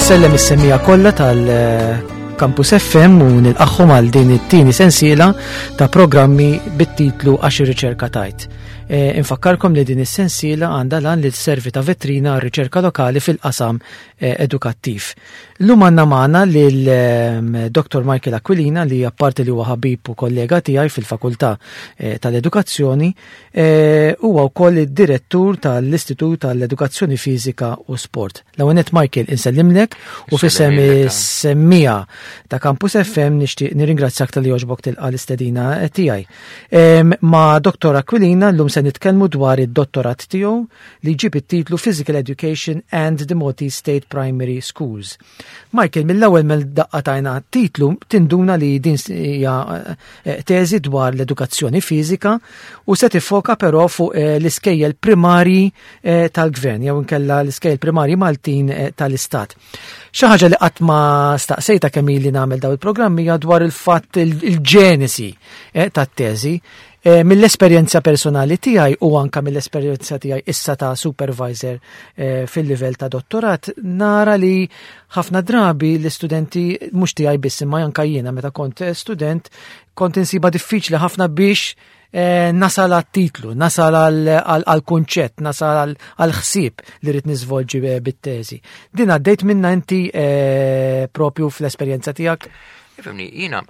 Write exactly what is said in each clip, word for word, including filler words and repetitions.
Insellem is-semmiegħa kollha tal-Campus F M u nilqagħhom għal din it-tieni sensiela ta' programmi bit-titlu "Għax ir-riċerka tgħid". E, infakkarkom li din is-sensiela għandha l-għan li sservi ta' vetrina għar-riċerka lokali fil-qasam e, edukattiv. Illum għandna magħna lil ehm, Dottor Michael Aquilina, li apparti li huwa ħabib u kollega tiegħi fil-Fakultà e, tal-Edukazzjoni, huwa wkoll id-direttur tal-Istitut tal-Edukazzjoni Fiżika u Sport. L-ewwel, Michael, insellimlek u f'isem is-semmiegħa ta' Campus F M nixtieq nirringrazzjak talli għoġbok tilqa' l-istedina tiegħi. Ma' Dottor Aquilina llum se nitkellmu dwar id-dottorat tiegħu li jġib it-titlu Physical Education and the Maltese State Primary Schools. Michael, mill-ewwel mill-daqqa tajna titlu tinduna li din hija eh, teżi dwar l-edukazzjoni fiżika u se tiffoka però fuq eh, l-iskejjel primari eh, tal-gvern jew inkella l-iskejjel primari Maltin tal-Istat. Xi ħaġa li qatt ma staqsejta kemm ili nagħmel daw il-programmi hija dwar il-fatt il-ġenesi tat-teżi. Eh, mill-esperjenza personali tiegħi u anka mill-esperjenza tiegħi issa ta' supervisor eh, fil-livell ta' dottorat, nara li ħafna drabi l-istudenti, mhux tiegħi biss imma anka jiena meta kont student, kont insiba diffiċli ħafna biex eh, nasal għat-titlu, nasal għal-kunċett, nasal għal-ħsieb li rrid niżvolġi bit-teżi. Din għaddejt minna inti propju fl-esperjenza tiegħek? Ifhimni, jiena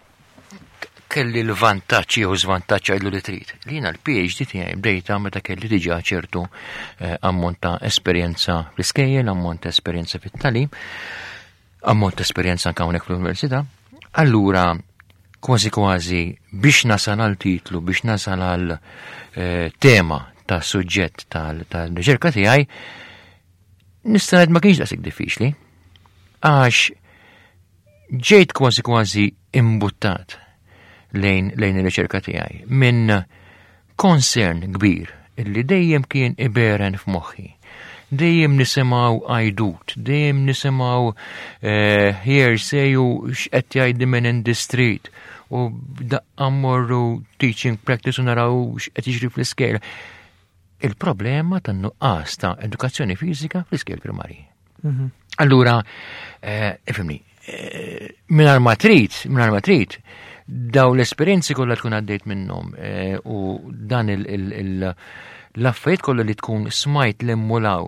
kelli l-vantaġġ jew żvantaġġ, għidlu li trid. Li jiena l-P H D tiegħi bdejta meta kelli diġà ċertu eh, ammont ta' esperjenza fl-iskejjel, ammont ta' esperjenza fit-tagħlim, ammont ta' esperjenza anke hawnhekk fl-università. Allura kważi kważi biex nasal għal titlu, biex nasal għal eh, tema ta' suġġett tal-riċerka tiegħi, nista' ngħid ma kienx daqshekk diffiċli. Għax ġejt kważi kważi imbuttat lejn lejn ir-riċerka tiegħi minn concern kbir illi dejjem kien iberen f'moħħi. Dejjem nisimgħu għajdut, dejjem nisimgħu eh, hearsay u x'qed jgħidu minn in the street u daqqa mmorru teaching practice u naraw x'qed jiġri fl-iskejjel. Il-problema tan-nuqqas ta' edukazzjoni fiżika fl-iskejjel primarji. Mhm. Allura, eh, ifhimni, eh, mingħajr ma trid, mingħajr ma trid, daw l-esperjenzi kollha tkun għaddejt minnhom eh, u dan l-affarijiet kollha li tkun smajt l-immulaw,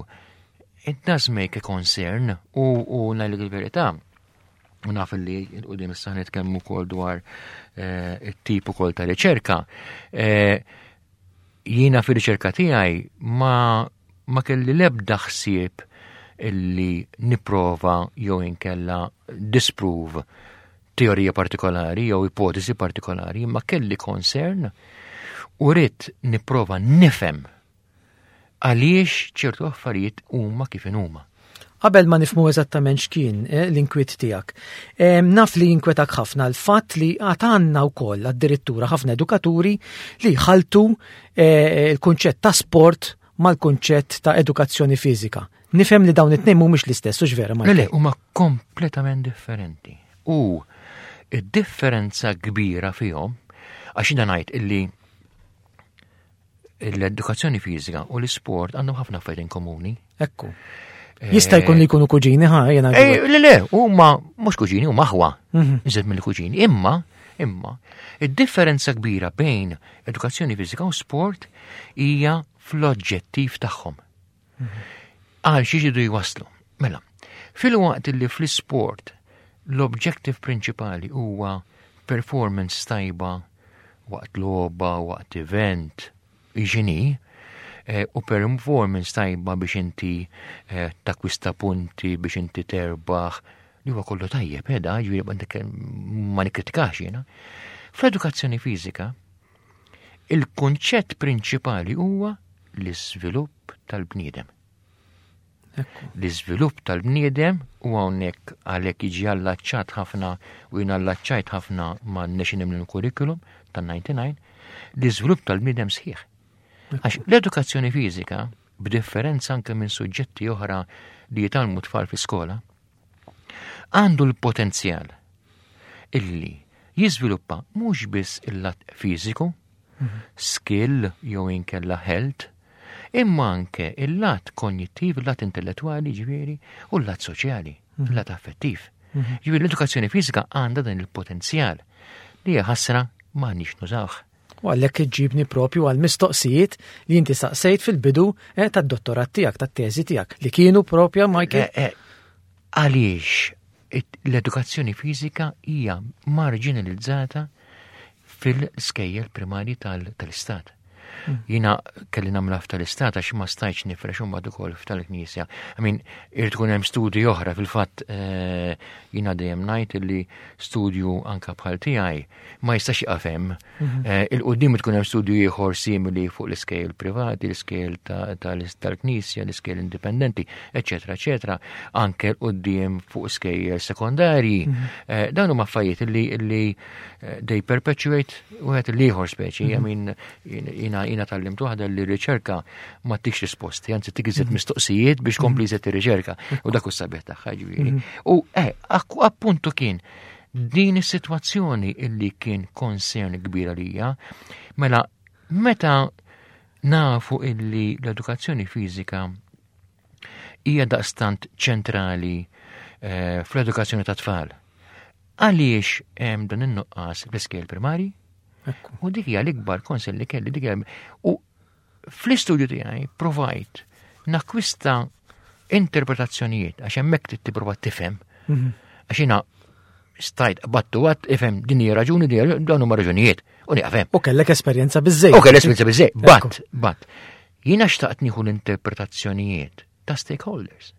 it does make a concern u u ngħidlek il-verità. U naf li 'l quddiem issa nitkellmu wkoll dwar eh, it-tip ukoll ta' riċerka. Eh, jiena fir-riċerka tiegħi ma ma kelli l-ebda ħsieb illi nipprova jew inkella disprove teorija partikolari jew ipotesi partikolari, ma kelli concern u ridt nipprova nifhem għaliex ċertu affarijiet huma kif huma. Qabel ma nifhmu eżattament x'kien eh, l-inkwiet tiegħek, naf li jinkwetak ħafna l-fatt li għad għandna wkoll addirittura ħafna edukaturi li jħaltu eh, il-kunċett ta' sport mal-kunċett ta' edukazzjoni fiżika. Nifhem li dawn it-tnejn mhumiex l-istess, hux vera? Le, le, huma kompletament differenti. U id-differenza kbira fihom, għax jiena ngħid illi l-edukazzjoni fiżika u l-isport għandhom ħafna affarijiet in komuni. Ekku. Jista' jkun li jkunu kuġini, ħa, jena. Eh, le, le, huma mhux kuġini, huma aħwa. Mhm. Iżjed mill-kuġini. Imma, imma, id-differenza kbira bejn edukazzjoni fiżika u sport hija fl-oġġettiv tagħhom. Għal xi jridu jwaslu. Mela, fil-waqt li fl-sport l-objective prinċipali huwa performance tajba waqt logħba, waqt event, iġini, eh, u performance tajba biex inti eh, takwista punti, biex inti terbaħ, li huwa kollu tajjeb, eda, ġifieri ma nikkritikax jiena. Fl-edukazzjoni fiżika, il-kunċett prinċipali huwa l-iżvilupp tal-bniedem. L-iżvilupp tal-bniedem, u hawnhekk għalhekk jiġi allaċċat ħafna u jien allaċċajt ħafna ma' National Curriculum tan-disgħa u disgħin, l-iżvilupp tal-bniedem sħiħ. Għax l-edukazzjoni fiżika, b'differenza anke minn suġġetti oħra li jitgħallmu tfal fi skola, għandu l-potenzjal illi jiżviluppa mhux biss il-lat fiżiku, skill jew inkella health, imma anke il-lat kognittiv, il-lat intellettuali ġifieri, u l-lat soċjali. Fil-lat affettiv. Ġifieri l-edukazzjoni fiżika għandha dan il-potenzjal li hija ħasra m'aħniex nużawh. U għalhekk iġġibni propju għal mistoqsijiet li inti saqsejt fil-bidu eh, tad-dottorat tiegħek, tat-teżi tiegħek, li kienu propja, Michael. Eh, eh, Għaliex it- l-edukazzjoni fiżika hija marginalizzata fil-skejjel primarji tal- tal-istat. Jiena kelli nagħmilha f'tal-istat għax ma stajtx nifrex imbagħad ukoll f'tal-knisja. I mean, irid ikun hemm studji oħra fil-fatt, eh, jiena dejjem ngħid li studju anka bħal tiegħi ma jistax jaqaf hemm. Eh, 'Il quddiem tkun hemm studju ieħor simili fuq l-iskejjel privati, l-iskejjel ta- tal- tal-knisja, l-iskejjel indipendenti, eċetera, eċetera. Anke 'l quddiem fuq skejjel sekondarji. Eh, Dawn huma affarijiet li li eh, they perpetuate wieħed l-ieħor speċi. I mean, jiena jiena tgħallimt waħda li r-riċerka ma ttikx risposti, anzi ttik iżjed mistoqsijiet biex tkompli iżjed ir-riċerka. U dak hu s-sabiħ tagħha, ġifieri. U eh, akku- appuntu kien din is-sitwazzjoni illi kien concern kbira lija, mela meta nafu illi l-edukazzjoni fiżika hija daqstant ċentrali eh, fl-edukazzjoni ta' tfal. Għaliex hemm dan in-nuqqas fl-iskejjel primari? Ekku. U dik hija l-ikbar concern li kelli, dik hija. U fl-istudju tiegħi provajt nakkwista interpretazzjonijiet għax hemmhekk trid tipprova tifhem. Għax jiena stajt battu għat ifhem din hija raġuni, din hija, dawn huma raġunijiet u nieqaf hemm. U kellek esperjenza biżejjed. U kelli esperjenza biżejjed, Ekku. but, but, jiena xtaqt nieħu l-interpretazzjonijiet ta' stakeholders.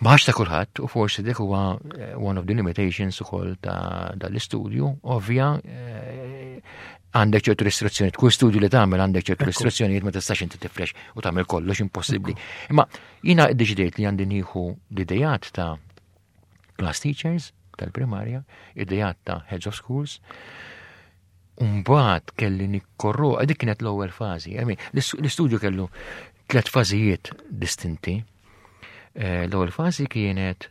Maħx ta' kulħadd, u forsi dik huwa eh, one of the limitations ukoll ta' dal-istudju, ovvja, eh, għandek ċertu restrizzjonijiet, kull studju li tagħmel għandek ċertu restrizzjonijiet, ma tistax inti tifrex u tagħmel kollox, impossibbli. Imma jiena ddeċidejt li għandi nieħu l-idejat ta' class teachers tal-primarja, idejat ta' heads of schools, Umbagħad kelli nikkorru, dik kienet l-ewwel fażi. I mean, l-istudju kellu tliet fażijiet distinti. Eh, L-ewwel fażi kienet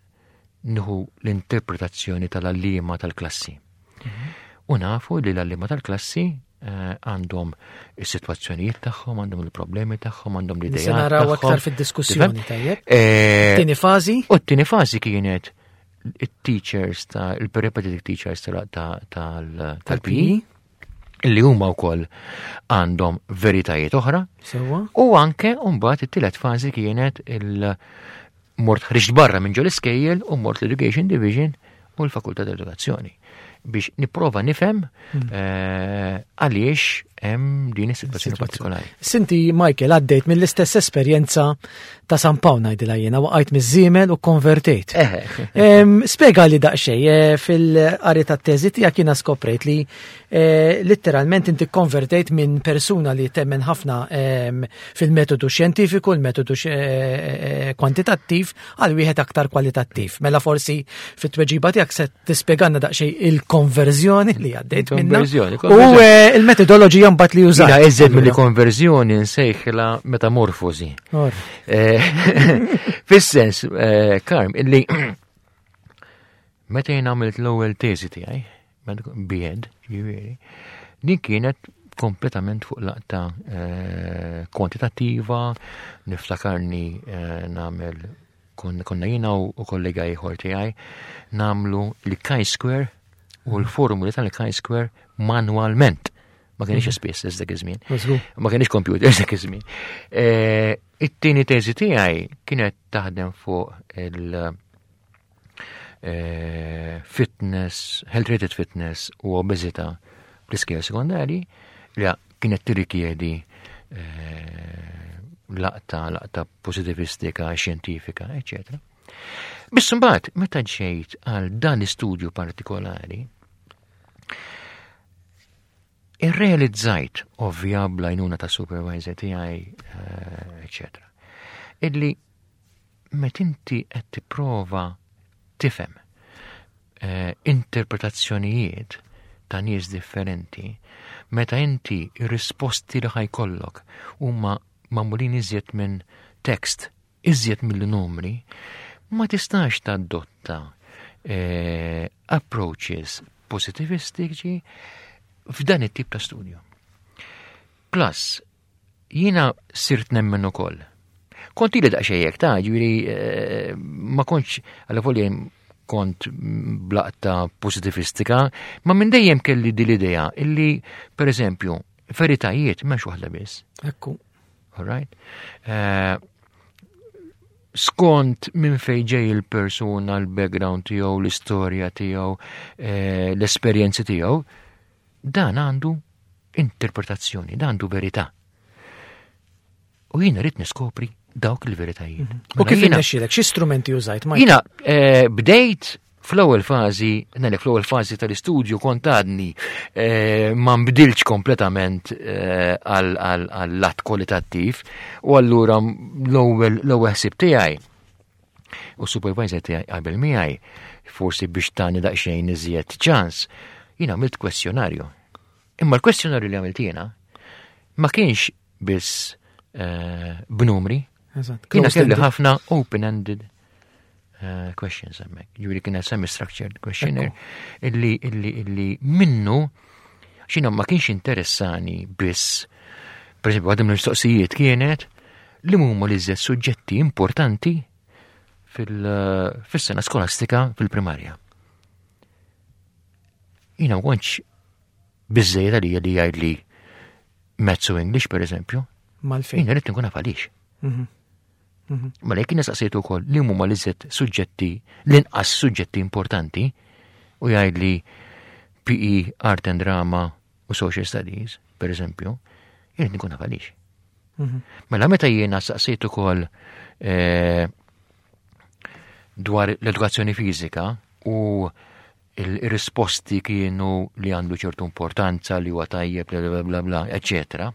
nieħu l-interpretazzjoni tal-għalliema tal-klassi. U nafu li l-għalliema tal-klassi eh, għandhom is-sitwazzjonijiet tagħhom, għandhom il-problemi tagħhom, għandhom l-idejat Se naraw tagħhom. aktar fid-diskussjoni, Tifhem? tajjeb. Eh, Tieni fażi? U t-tieni fażi kienet il-teachers ta' il-peripatetic teachers tal-P E Tal-P E. li huma wkoll għandhom veritajiet oħra. Sewwa. U anke mbagħad it-tielet fażi kienet il mort ħriġt barra minn ġol iskejjel u mort l-Education Division u l-Fakultà tal-Edukazzjoni biex nipprova nifhem eh, għaliex hemm din is-sitwazzjoni partikolari. Sinti, Michael, għaddejt mill-istess esperjenza ta' San Pawl, ngħidilha jiena, waqajt miż-żiemel u konvertejt. Eħe. Em, Spiega li daqsxejn, eh, fil-qari tat-teżi tiegħek jiena skoprejt li eh, letteralment inti konvertejt minn persuna li temmen ħafna em, fil-metodu xjentifiku, il-metodu x- eh, eh, kwantitattiv, għal wieħed aktar kwalitattiv. Mela forsi fit-tweġiba tiegħek se tispjegalna daqsxejn il-konverżjoni li għaddejt minna. Konverżjoni, U konverżjoni. eh, il-metodoloġija mbagħad li użat. Jiena iżjed mill konverżjoni nsejħilha metamorfosi. Or. Eh, Fis-sens, eh, Karm, illi meta jien għamilt l-ewwel teżi tiegħi, B Ed, ġifieri, din kienet kompletament fuq laqta eh, kwantitattiva, niftakarni eh, nagħmel kon- konna jiena u u kollega ieħor tiegħi nagħmlu l-chi-square u l-formuli tal-chi-square manualment. Ma kienx S P S S dak iż-żmien. Mażgur. Ma kienx computer dak iż-żmien. Eh, It-tieni teżi tiegħi kienet taħdem fuq il- eh, fitness, health rated fitness u obeżità fl-iskejjel sekondarji li kienet tirrikjedi eh, laqta, laqta pozitivistika, xjentifika, eċċetera. Biss mbagħad meta ġejt għal dan l-istudju partikolari, irrealizzajt, ovvja bl-għajnuna ta' supervisor tiegħi, eh, eċċetera, illi meta inti qed tipprova tifhem eh, interpretazzjonijiet ta' nies differenti, meta inti ir-risposti li ħa jkollok huma magħmulin iżjed minn tekst, iżjed mill-numri, ma tistax tadotta eh, approaches positivistiċi f'dan it-tip ta' studju. Plus, jiena sirt nemmen ukoll. Kont ili daqsxejn hekk ta' ġifieri eh, ma kontx għal kont blaqta pozitivistika, ma minn dejjem kelli din l-idea illi, per eżempju, veritajiet m'hemmx waħda biss. Ekku. All right? Uh, skont minn fejn ġej il-persuna, l-background tiegħu, l-istorja tiegħu, eh, l-esperjenzi tiegħu, dan għandu interpretazzjoni, dan għandu verità. U jiena rrid niskopri dawk il-veritajiet. Mhm. U mela kif irnexxielek, xi strumenti użajt? Jiena eh, bdejt fl-ewwel fażi, ngħidlek fl-ewwel fażi tal-istudju kont għadni eh, ma nbdilx kompletament eh, għal-lat kwalitattiv u allura l-ewwel l-ewwel ħsieb tiegħi u supervisor tiegħi qabel miegħi forsi biex tani daqsxejn iżjed ċans, jiena għamilt kwestjonarju. Imma l-kwestjonarju li għamilt jiena ma kienx biss eh, b'numri, jiena kelli ħafna open-ended uh, questions hemmhekk. Ġifieri kienet semi-structured questionnaire illi illi illi minnu xina ma kienx interessani biss. Per esempio, għadhom l-mistoqsijiet kienet li huma li suġġetti importanti fil-sena skolastika fil-primarja. Jiena ma kontx biżżejjed għalija li jgħid li Maths u English, per eżempju. Mal-fejn. Jiena rrid nkun naf għaliex. Mhm. Mhm. Ma jekk nistaqsejtu wkoll li huma l-iżjed suġġetti, l-inqas suġġetti importanti u jgħid li P E, Art and Drama u Social Studies, per eżempju, jien nkun naf għaliex. Mhm. Mela meta jiena saqsejt ukoll eh, dwar l-edukazzjoni fiżika u il-risposti kienu li għandu ċertu importanza, li huwa tajjeb, bla bla bla bla, eccetera.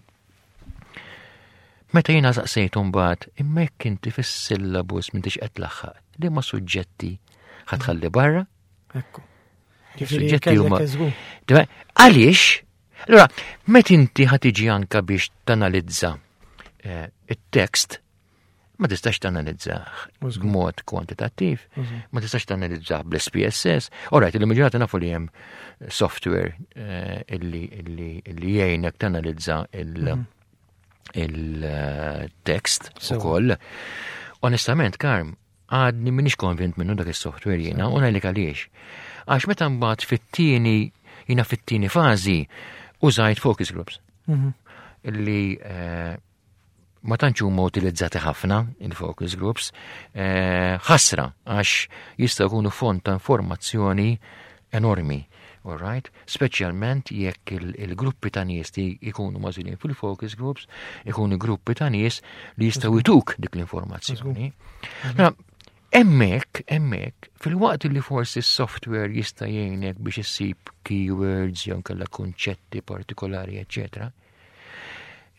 Meta jiena saqsejt mbagħad, imma jekk inti fis-syllabus m'intix qed tlaħħaq, li ma suġġetti ħa tħalli barra? Ekku. Ġifieri Suġġetti huma. kellek eżgu. Dwa- Għaliex? Allora, meta inti ħa tiġi anka biex tanalizza eh, it-tekst, ma tistax tanalizzah Użgur. b'mod kwantitattiv, Użgur. ma tistax tanalizzah bl-S P S S. Alright, il-maġġoranza nafu li hemm software eh, illi illi illi jgħinek tanalizza il- il-tekst Sewa. ukoll. Onestament, Karm, għadni minix konvint minnu dak il-software jiena, u ngħidlek għaliex. Għax meta mbagħad fit-tieni, jiena fit-tieni fażi użajt focus groups Mhm. illi eh, ma tantx huma utilizzati ħafna il-focus groups, eh, ħasra għax jistgħu jkunu font ta' informazzjoni enormi. All right? Speċjalment jekk il- il-gruppi ta' nies li jkunu magħżulin fil-focus groups, ikunu gruppi ta' nies li jistgħu jtuk dik l-informazzjoni. Mela, hemmhekk, hemmhekk, fil-waqt li forsi s-software jista' jgħinek biex issib keywords jew kellha kunċetti partikolari, eccetera.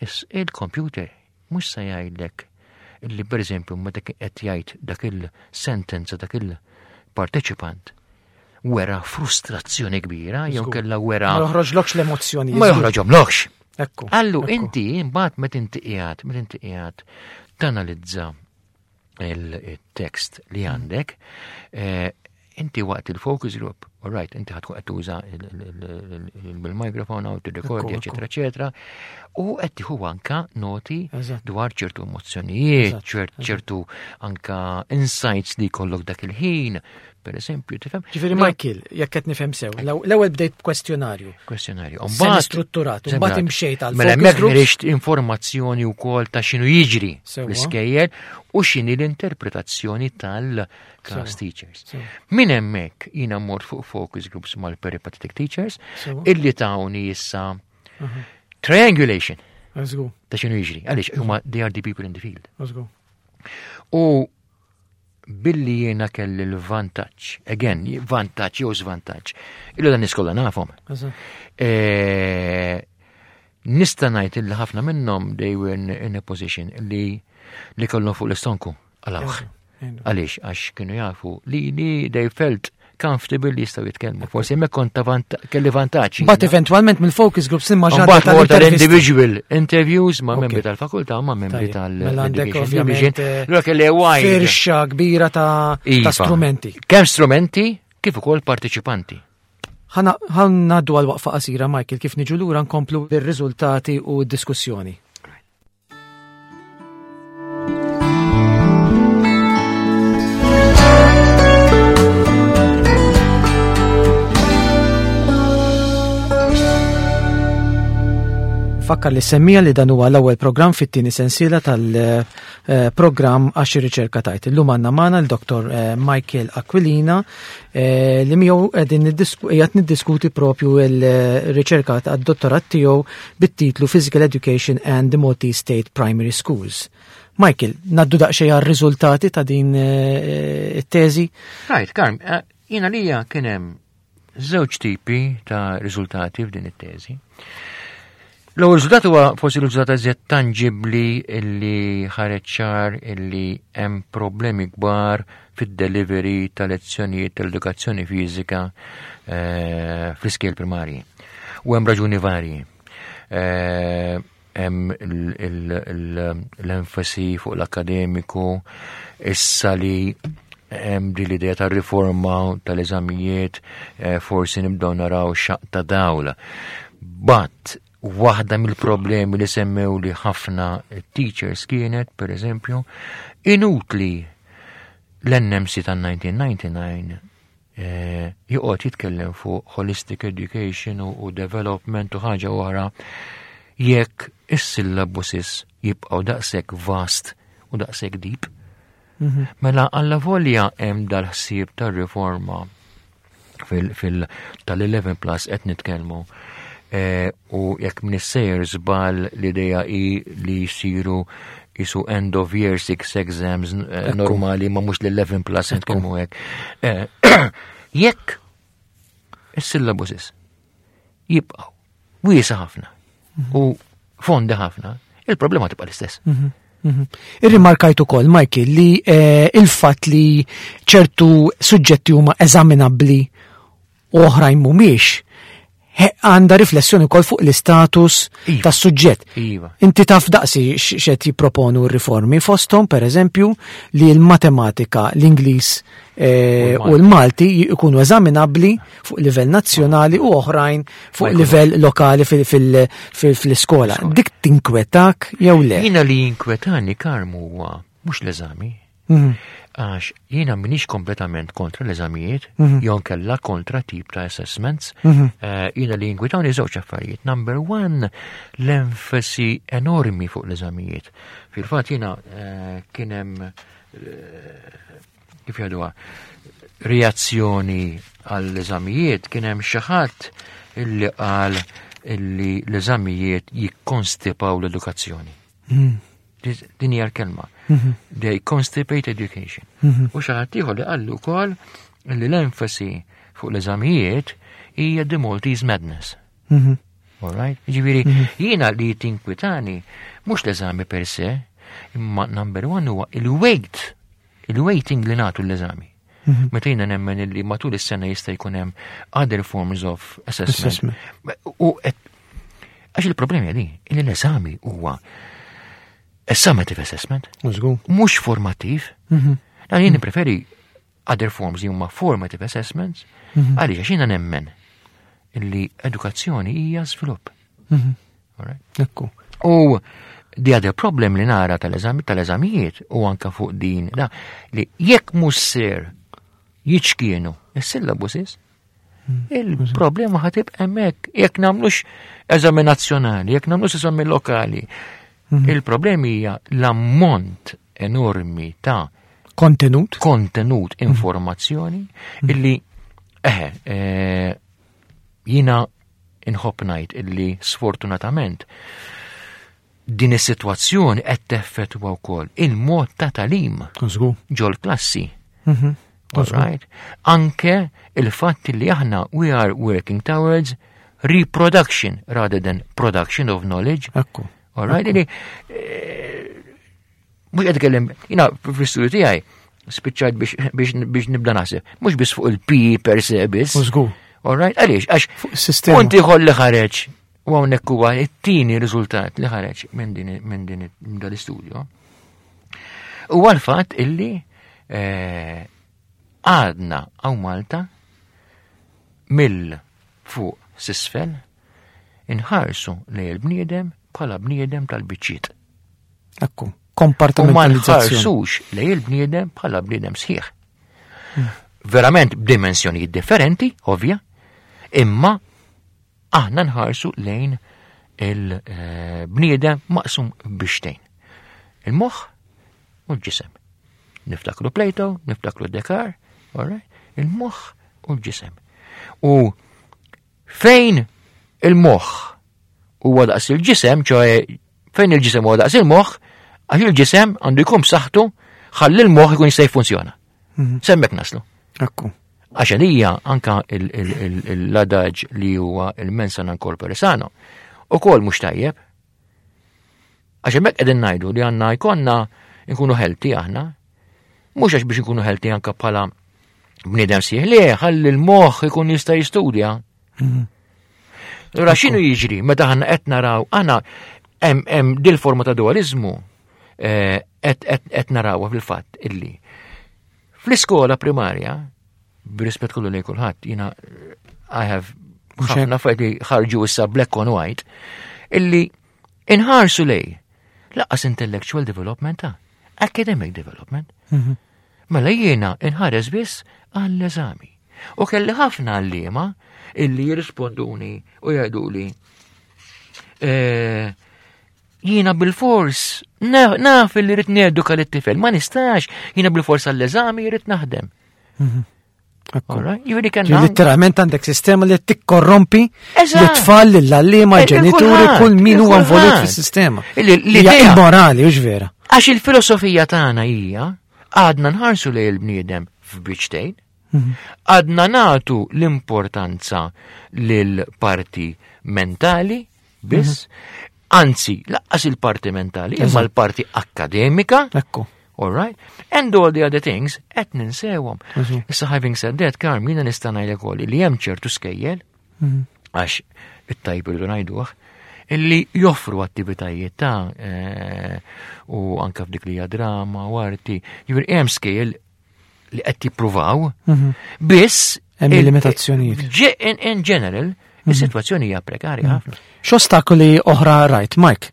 Is il-computer mhux se jgħidlek illi per eżempju meta qed jgħid dak il-sentenza dak il-parteċipant wera frustrazzjoni kbira jew Żgur. kella wera Ma joħroġlokx l-emozzjoni. Ma joħroġhomlokx. Ekku. Allu ekku. inti imbagħad meta inti qiegħed, meta inti qiegħed tanalizza il-tekst li għandek, eh, inti waqt il-focus group, all right, inti ħa tkun qed tuża il-mikrofon għaw tirrekordi, Ekku, eccetera, eccetera, u qed tieħu anka noti Eżatt. dwar ċertu emozzjonijiet, Eżatt, ċert- ċertu anka insights li jkollok dak il-ħin, per eżempju, tifhem? Ġifieri Michael, jekk qed nifhem sew, l-ewwel bdejt b'kwestjonarju. Kwestjonarju. Semi strutturat, u mbagħad imxejt għal Mela focus hemmhekk groups. ħriġt informazzjoni wkoll ta' x'inhu jiġri Sewwa. l-iskejjel u x'inhi l-interpretazzjoni tal-class Sewwa. teachers. Sewwa. Minn hemmhekk jiena mort fuq focus groups mal-peripatetic teachers Sewwa. illi tawni issa triangulation Eżgu, ta' x'inhu jiġri. Għaliex huma they are the people in the field. eżgu. U billi jiena kelli l-vantaġġ, again, vantaġġ jew żvantaġġ, illu dan niskola nafhom. Eżatt. Eh, Nista' ngħid illi ħafna minnhom they were in, in a position li li kellhom fuq l-istonku għalawh. Ejnu. Għaliex, għax kienu jafu li li they felt comfortable li jistgħu jitkellmu. Forsi hemmhekk kont ta' vant- kelli vantaġġ. Mbagħad eventwalment mill-focus groups imma ġadda Mbagħad mort tal-intervisti. tal-individual interviews ma' Ok. membri tal-fakultà ma' membri Tajjeb. Mela għandek tal-education ovvjament, division. eh, Allura kelli wide. Firxa kbira ta' ta' Iva. strumenti. Kemm strumenti kif ukoll partiċipanti. Ħa ngħaddu għal waqfa qasira, Michael, kif niġu lura nkomplu bir-riżultati u d-diskussjoni. Infakkar lis-semmiegħa li dan huwa l-ewwel programm fit-tieni sensiela tal-programm Għax ir-Riċerka Tgħid. Illum għandna magħna l-Dottor eh, Michael Aquilina eh, li miegħu qegħdin qiegħed niddiskuti propju l-riċerka tad-dottorat tiegħu bit-titlu Physical Education and the Maltese State Primary Schools. Michael, ngħaddu daqsxejn għar-riżultati ta' din eh, it-teżi? Right, Karm, jiena lija kien hemm żewġ tipi ta' riżultati f'din it-teżi. L-ewwel riżultat huwa forsi riżultat eżjed tangibbli illi ħareġ ċar illi hemm problemi kbar fid-delivery ta' lezzjonijiet tal-edukazzjoni fiżika eh, fl-iskejjel primarji. U hemm raġuni varji. Eh, hemm l-enfasi fuq l-akademiku, issa li hemm din l-idea ta' riforma tal-eżamijiet, eh, forsi nibdew naraw xaq ta' dawl. But waħda mill-problemi li semmew li ħafna teachers kienet, per eżempju, inutli l-N M C ta' elf disa' mija u disgħa u disgħin eh, joqgħod jitkellem fuq holistic education u, u development u ħaġa oħra jekk is-syllabuses jibqgħu daqshekk vast u daqshekk deep. Mm -hmm. Mela alla volja hemm dal-ħsieb tar-riforma fil, fil tal-eleven plus qed nitkellmu Eh, u jekk m'iniex żball, l-ideja i li jisiru jisu end of year six exams eh, normali, ma mhux l-eleven plus nitkellmu hekk. Eh, jekk is-syllabuses jibqgħu wiesa ħafna mhm. u fondi ħafna, il-problema tibqa' l-istess. Mhm. Mhm. Irrimarkajt ukoll, Michael, li il-fatt li ċertu suġġetti huma eżaminabbli u oħrajn mhumiex għandha riflessjoni wkoll fuq l-istatus iva. tas-suġġett. Iva. Inti taf daqsi x'qed jipproponu r-riformi fosthom, per eżempju, li l-matematika, l-Ingliż eh, u l-Malti jkunu eżaminabbli fuq livell nazzjonali u oħrajn fuq livell lokali fil-iskola. Dik tinkwetak jew le? Jiena li jinkwetani, Karmu, huwa mhux l-eżami. Mhm. Għax jiena m'iniex kompletament kontra l-eżamijiet, mm -hmm. jew kella kontra tip ta' assessments. Mm -hmm. uh, jiena li jinkwetawni żewġ affarijiet. Number one, l-enfasi enormi fuq l-eżamijiet. Fil-fatt jiena uh, kien hemm uh, kif jgħiduha, reazzjoni għall-eżamijiet, kien hemm xi ħadd illi qal illi l-eżamijiet jikkonstipaw l-edukazzjoni. Mm. Din hija l-kelma. Mhm. They constipate education. Mhm. U xi ħadd ieħor li qallu wkoll li l-enfasi fuq l-eżamijiet hija the Maltese madness. Mhm. All right? Ġifieri, jiena li tinkwitani mhux l-eżami per se, imma number one huwa il-weight, il-weighting li nagħtu l-eżami. Meta jiena nemmen li matul is-sena jista' jkun hemm other forms of assessment. U għax il-problemi di, li l-eżami huwa summative assessment. Mhux formattiv. Mhm. Dan jien preferi other forms li huma formative assessments, mhm. għaliex għax jiena nemmen illi edukazzjoni hija żvilupp. Mhm. Ekku. U the other problem li nara tal-eżami tal-eżamijiet u anka fuq din da li jekk mhux ser jiċkienu is-syllabuses, il-problema ħa tibqa' hemmhekk jekk nagħmlux eżami nazzjonali, jekk nagħmlux eżami lokali. Mhm. Il-problemi hija l-ammont enormi ta' kontenut, kontenut, mhm. informazzjoni illi eħe eh, jiena inħobb ngħid illi sfortunatament din is-sitwazzjoni qed teffettwa wkoll il-mod ta' tagħlim ġol-klassi. Mhm. Right? Anke il-fatt li aħna we are working towards reproduction rather than production of knowledge. Ekku. All right, li eh, mhux qed kellem, jiena fl-istudju tiegħi spiċċajt biex nibda naħseb, mhux biss fuq il-P E per se biss. All right, għaliex, għax punt ieħor li ħareġ u hawnhekk huwa it-tieni riżultat li ħareġ minn din minn din dal-istudju. Huwa l-fatt illi eh, għadna hawn Malta mill fuq s'isfel inħarsu li il-bniedem bħala bniedem tal-biċċiet. Ekku, kompartimentalizzazzjoni. U ma nħarsux li il-bniedem bħala bniedem sħiħ. Hmm. Verament b'dimensjonijiet differenti, ovvja, imma aħna nħarsu lejn Il-bniedem maqsum biċċtejn. Il-moħħ u l-ġisem. Niftakru Plato, niftakru Descartes, all right? Il-moħħ u l-ġisem. U fejn il-moħħ huwa daqs il-ġisem, ċoè fejn il-ġisem huwa daqs il-moħħ, għax il-ġisem għandu jkun b'saħħtu ħalli l-moħħ ikun jista' jiffunzjona. S'hemmhekk naslu. Ekku. Għax għalija anka l-adaġ li huwa il-mens sana in corpore sano, ukoll mhux tajjeb. Għax hemmhekk qegħdin ngħidu li għandna jkollna nkunu healthy aħna, mhux għax biex nkunu healthy anka bħala bniedem sħiħ, le, ħalli l-moħħ ikun jista' jistudja. Allura x'inhu jiġri meta aħna qed naraw aħna hemm hemm dil-forma ta' dualizmu eh, qed qed narawha fil-fatt illi fl-iskola primarja, b'rispett kollu lejn kulħadd, jiena I have ħafna affarijiet li ħarġu issa black on white, illi inħarsu lej lanqas intellectual development ta' academic development. Mela jiena inħares biss għall-eżami. U kelli ħafna għalliema illi jirrisponduni u jgħiduli eh, jiena bil-fors naf illi rrid neduka lit-tifel, ma nistax, jiena bil-fors għall-eżami rrid naħdem. Alright? Jiġifieri kellna. Literalment għandek sistema li tikkorrompi Eżatt. l-tfal, l-għalliema, Eh, l-ġenituri, kulħadd, kull min huwa involut kulħadd. fis-sistema. Li- Hija L-idea immorali, hux vera. Għax il-filosofija tagħna hija għadna nħarsu lejn il-bniedem f'biċċtejn, għadna nagħtu l-importanza lil parti mentali biss, anzi, lanqas il-parti mentali, imma l-parti akkademika, Ekku. all right? And all the other things, qed ninsewhom. Mhm. Issa having said that, Karm, jiena nista' ngħidlek ukoll li hemm ċertu skejjel, għax it-tajb irridu ngħiduh, illi joffru attivitajiet ta' eh, u anka f'dik li hija drama u arti, jiġifieri hemm skejjel li qed jippruvaw, biss Hemm il- limitazzjonijiet. ġe- In, in general, is-sitwazzjoni hija prekarja ħafna. X'ostakoli oħra rajt, Mike?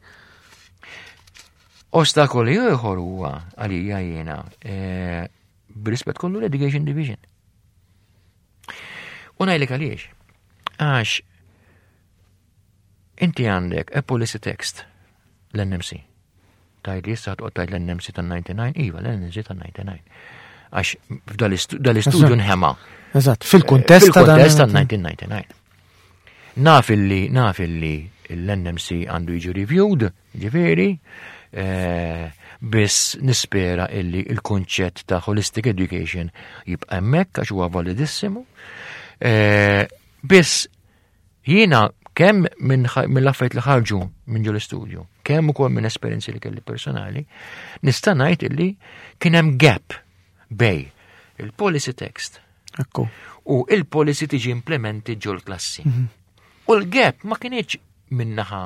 Ostakoli ieħor huwa għalija jiena eh, b'rispett kollu l-Education Division. U ngħidlek għaliex. Għax inti għandek a policy text l-N M C. Tgħid li issa toqgħod tgħid l-N M C tan-disgħa u disgħin, iva, l-N M C tan-disgħa u disgħin. Għax f'dal-istudju nħema. Eżatt, fil-kuntest ta' dan- Fil-kuntest tan-elf disa' mija u disgħa u disgħin. Naf illi, naf illi l-N M C għandu jiġi reviewed, ġifieri, eh, biss nispera illi il-konċett ta' holistic education jibqa' hemmhekk għax huwa validissimu. Eh, biss jiena kemm minn mill-affarijiet li ħarġu minn ġol istudju, kemm ukoll minn esperjenzi li kelli personali, nista' ngħid illi kien hemm gap bejn il-policy text Ekku. u il-policy tiġi implementi ġol klassi. U l-gap ma kienx min-naħa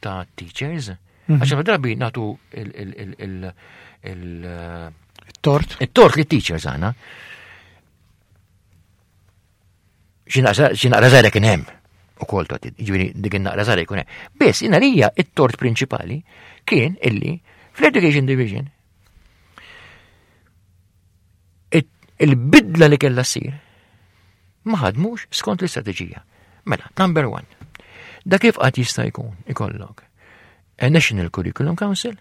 ta' teachers, għax ħafna drabi nagħtu il- il- il- il- il- Tort. il-tort li teachers għana. Xi naqra żgħira kien hemm ukoll tot, jiġifieri dik in-naqra żgħira jkun hemm. Biss għalija it-tort prinċipali kien illi fl-Education Division it- il-bidla li kellha ssir ma ħadmux skont l-istrateġija. Mela, number one, da kif qatt jista' jkun ikollok a National Curriculum Council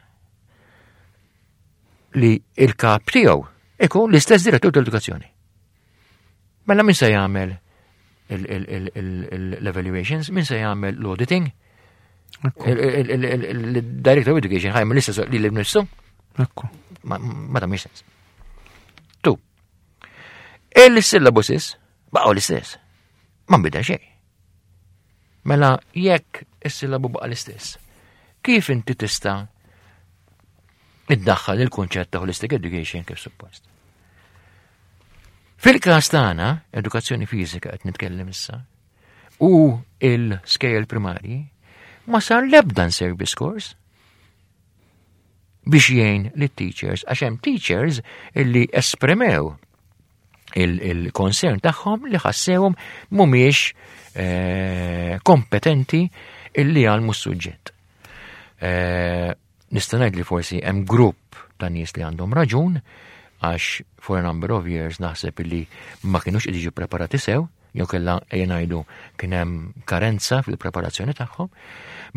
li il-kap tiegħu ikun l-istess direttur tal-edukazzjoni? Mela min se jagħmel l-evaluations, min se jagħmel l-auditing? Il-Director of Education ħa jagħmel l-istess li l-nifsu? Ekku. Ma ma tagħmilx sens. Tu. Il-syllabuses baqgħu l-istess. Ma nbidel xejn. Mela jekk is-sillabu baqa' l-istess, kif inti tista' iddaħħal il-kunċett ta' holistic education kif suppost? Fil-każ tagħna, edukazzjoni fiżika qed nitkellem issa, u il-skejjel primarji, ma sar l-ebda service course biex jgħin lit teachers għax hemm teachers illi esprimew il-concern tagħhom li ħassewhom mhumiex eh, kompetenti illi jgħallmu s-suġġett. Eh, Nista' ngħid li forsi hemm grupp ta' nies li għandhom raġun, għax for a number of years naħseb illi ma kienux qed jiġu preparati sew, Jew kellha, ejja ngħidu, kien hemm karenza fil-preparazzjoni tagħhom.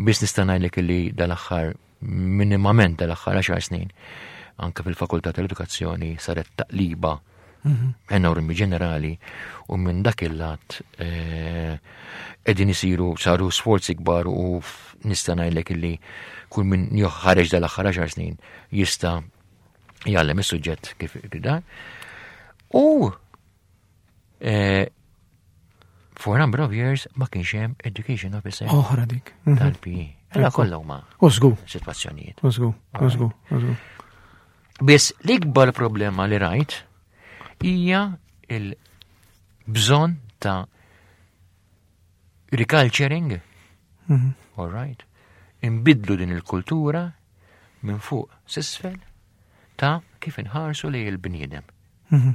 Biss nista' ngħidlek li dal-aħħar, minimament dal-aħħar għaxar snin, anke fil-Fakultà tal-Edukazzjoni saret taqliba enormi ġenerali u minn dak il-lat eh, qegħdin isiru, saru sforzi kbar u f- nista' ngħidlek illi kull min ħareġ dal-aħħar għaxar snin jista' jgħallem is-suġġett kif dan. U eh, for a number of years ma kienx hemm education officer Oħra dik. Mhm. tal-P E. Ella kollha huma U żgur, sitwazzjonijiet. U żgur, u żgur, u żgur. Biss l-ikbar problema li rajt hija il-bżonn ta' reculturing, Mhm. all right, imbidlu din il-kultura minn fuq s'isfel ta' kif inħarsu li il-bniedem. Mhm.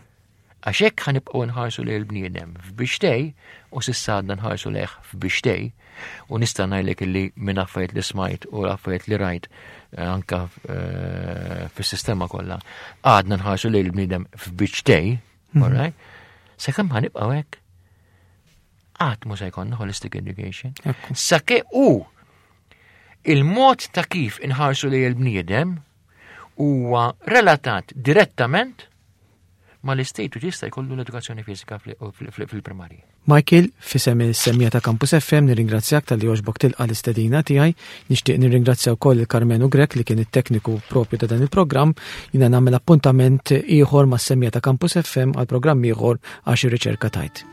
Għax hekk ħa nibqgħu nħarsu li il-bniedem f'biċċtejn, u s'issa għadna nħarsu lejh f'biċċtejn, u nista' ngħidlek illi minn affarijiet li smajt u affarijiet li rajt eh, anka eh, fis-sistema kollha, għadna nħarsu li il-bniedem f'biċċtejn, all right? Sakemm ħa nibqgħu hekk, qatt mhu se jkollna holistic education. Ekku. Sakemm u il-mod ta' kif inħarsu li il-bniedem huwa relatat direttament ma l-istatu jista' jkollu l-edukazzjoni fiżika fil-primarji. Michael, f'isem is-semmiegħa ta' Campus F M nirringrazzjak talli għoġbok tilqa l-istedina tiegħi. Nixtieq nirringrazzja wkoll il-Karmenu Grek li kien it-tekniku propju ta' dan il-programm. Jiena nagħmel appuntament ieħor mas-semmiegħa ta' Campus F M għal programm ieħor Għax ir-Riċerka Tgħid.